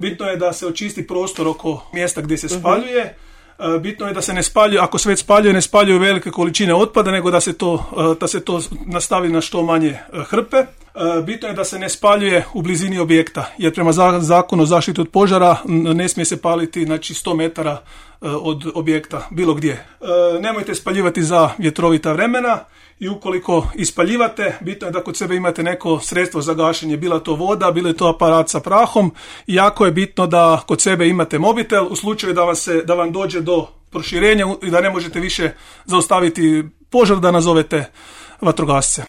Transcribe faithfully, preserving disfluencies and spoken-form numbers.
Bitno je da se očisti prostor oko mjesta gdje se spaljuje. Bitno je da se ne spaljuje, ako se već spaljuje, ne spaljuju velike količine otpada, nego da se to, da se to nastavi na što manje hrpe. Bitno je da se ne spaljuje u blizini objekta, jer prema zakonu o zaštiti od požara ne smije se paliti, znači, sto metara od objekta, bilo gdje. Nemojte spaljivati za vjetrovita vremena i ukoliko ispaljivate, bitno je da kod sebe imate neko sredstvo za gašenje, bila to voda, bilo je to aparat sa prahom. I jako je bitno da kod sebe imate mobitel u slučaju da vam, se, da vam dođe do proširenja i da ne možete više zaustaviti požar, da nazovete vatrogasce.